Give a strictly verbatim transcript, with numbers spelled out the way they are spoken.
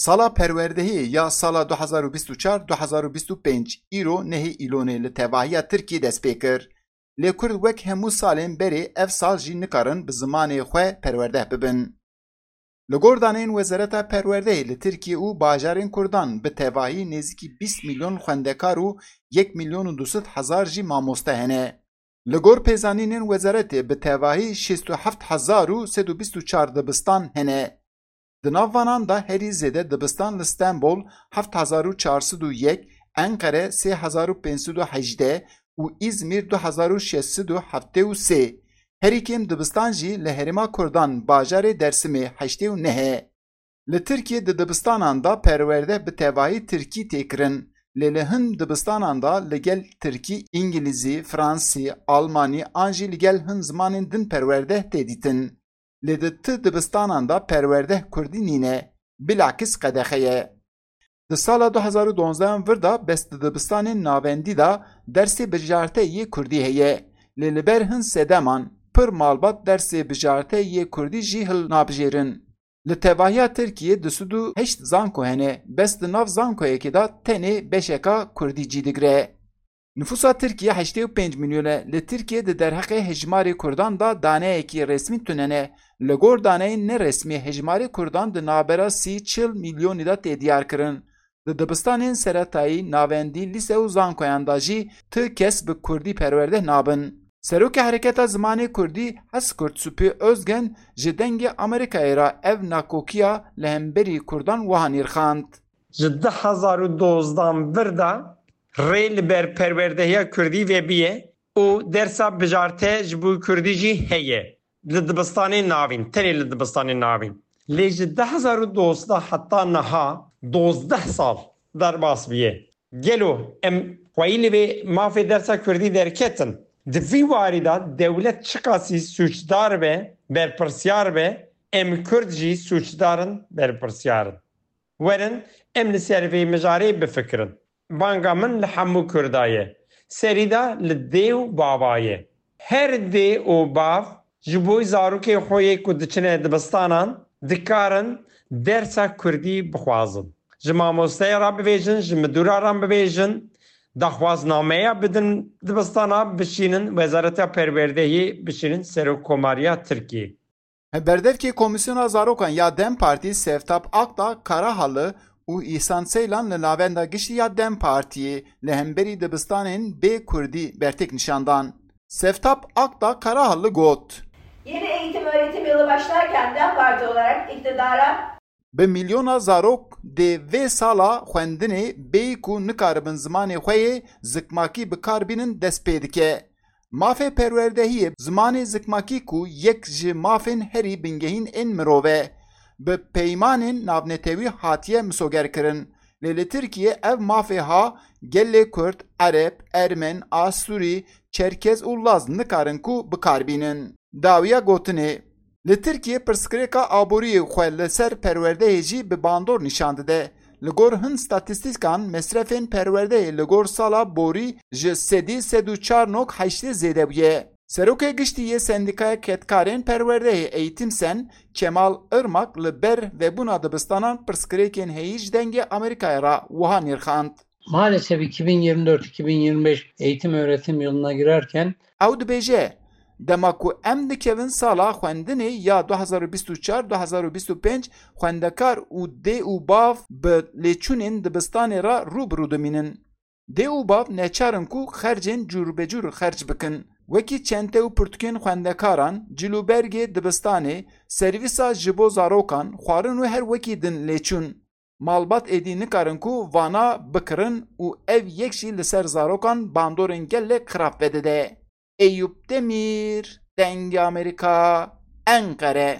Sala perwerdehiyê ya sala du hezar û bîst û çar du hezar û bîst û pênc îro nehê Îlonê li tevahiya Tirkiyê dest pê kir. Lê Kurd wek hemû salên berê ev sal jî nikarin bi zimanê xwe perwerdeh bibin. Li gor daneyên Wezareta Perwerdehê li Tirkiye û bajarên Kurdan bi tevahî nêzîkî bîst milyon xwendekar û yek milyon û du sed hezar jî mamoste hene. Li gor pêzanînên wezaretê bi tevahî şêst û heft hezar û sed û bîst û çar dibistan hene. Di nav vanan de herî zêde dibistan li Stenbol heft hezar û çar sed û yek, Enqere sê hezar û pênc sed û hejdeh û Îzmîr du hezar û şeş sed û heftê û sê. Herî kêm dibistan jî li herêma Kurdan bajarê Dersimê heştê û neh e. Li Tirkiyê di dibistanan de perwerde bi tevahî tirkî tê kirin, lê li hin dibistanan de li gel tirkî, îngilîzî, fransî, almanî an jî li gel hin zimanên din perwerdeh tê dîtin. Lê di ti dibistanan de perwerdeh kurdî nîne, bilakis qedexe ye. Di sala du hezar û donzdeh vir de bes di dibistanên navendî de dersê bijarte yê kurdî heye, lê li ber hin sedeman pir malbat dersê bijarte yê kurdî jî hilnabijêrin. Li tevahiya Tirkiyê du sed û heşt zanko hene, bes di nav zankoyekê de tenê beşeka kurdî cî digire. Nifûsa Tirkiyê heştê û pênc milyon e. Li Tirkiyê di derheqê hejmarê kurdan de daneyekî resmî tune ne. Li gor daneyên neresmî hejmarê kurdan di navbera sî çil milyonî de tê diyar kirin. Di dibistanên seretayî, navendî, lîse û zankoyan de jî ti kes bi kurdî perwerdeh nabin. Serokê Hereketa Zimanê Kurdî Heskurt Supê Ozgen ji Dengê Amerîkayê re ev nakokiya li hemberî kurdan wiha nirxand. Ji du hezar û dozdeh vir de rê li ber perwerdehiya kurdî vebiye û dersa bijarte ji bo kurdî jî heye. Li dibistanên navîn, tenê li dibistanên navîn. Lê ji du hezar û dozdeh heta niha dozdeh sal derbas bûye. Gelo em xweyî li vê mafê dersa kurdî derketin? Di vî warî de dewlet çiqasî sûcdar be, berpirsyar be, em kurd jî sûcdar in, berpirsyar in. Werin em li ser vê mijarê bifikirin. Banga min li hemû kurda ye. Serî de li dê û bava ye. Her dê û bav ji bo zarokê xwe yê ku diçine dibistanan dikarin dersa kurdî bixwazin. Ji mamosteyê re bibêjin, ji midûra re bibêjin, daxwaznameya bidin dibistana bişînin, Wezareta Perwerdehiyê bişînin, Serokkomariya Tirkiyê. Berdevkê Komîsyona Zarokan ya DEM Partî Sevtap Akdağ Karahalı û Îhsan Seylan li Navenda Giştî ya DEM Partiyê li hemberî dibistanên bê kurdî bertek nîşan dan. Sevtap Akdağ Karahalı got. Yeni eğitim öğretim yılı başlarken DEM Parti olarak iktidara Bi milyona zarok dê vê sala xwendinê bêyî ku nikaribin zimanê xwe yê zikmakî bi kar bînin dest pê dike. Mafê perwerdehiyê zimanê zikmakî ku yek ji mafên herî bingehîn ên mirov e, bi peymanên navnetewî hatiye misogerkirin. Lê li Tirkiyê ev mafê ha gelê Kurd, Ereb, Ermen, Asûrî, Çerkez û Laz nikarin ku bi kar bînin. Dawiya gotinê, li Tirkiyê pirsgirêka aboriyê xwe li ser perwerdeyê jî bi bandor nîşan dide. Li gor hin statîstîkan mesrefên perwerdeyê li gor sala borî ji sedî sed û çar nok heştê zêde bûye. Serokê Giştî yê Sendîkaya Kedkarên Perwerdeyê Eğitim Sen, Kemal Irmak li ber vebûna dibistanan pirsgirêkên heyî ji Dengê Amerîkayê re wiha nirxand. Maalesef iki bin yirmi dört iki bin yirmi beş eğitim öğretim yılına girerken Ew dibêje, dema ku em dikevin sala xwendinê ya du hezar û bîst û çar du hezar û bîst û pênc, xwendekar û dê û bav bi lêçûnên dibistanê re rû bi rû dimînin. Dê û bav neçar in ku xercên cûrbecûr xerc bikin. Wekî çente û pirtûkên xwendekaran, cilûbergê dibistanê, servîsa ji bo zarokan, xwarin û her wekî din lêçûn. Malbat êdî nikarin ku vana bikirin û ev yek jî li ser zarokan bandorên gelek xirab vedide. Eyûp Demîr, Dengê Amerîka, Enqere.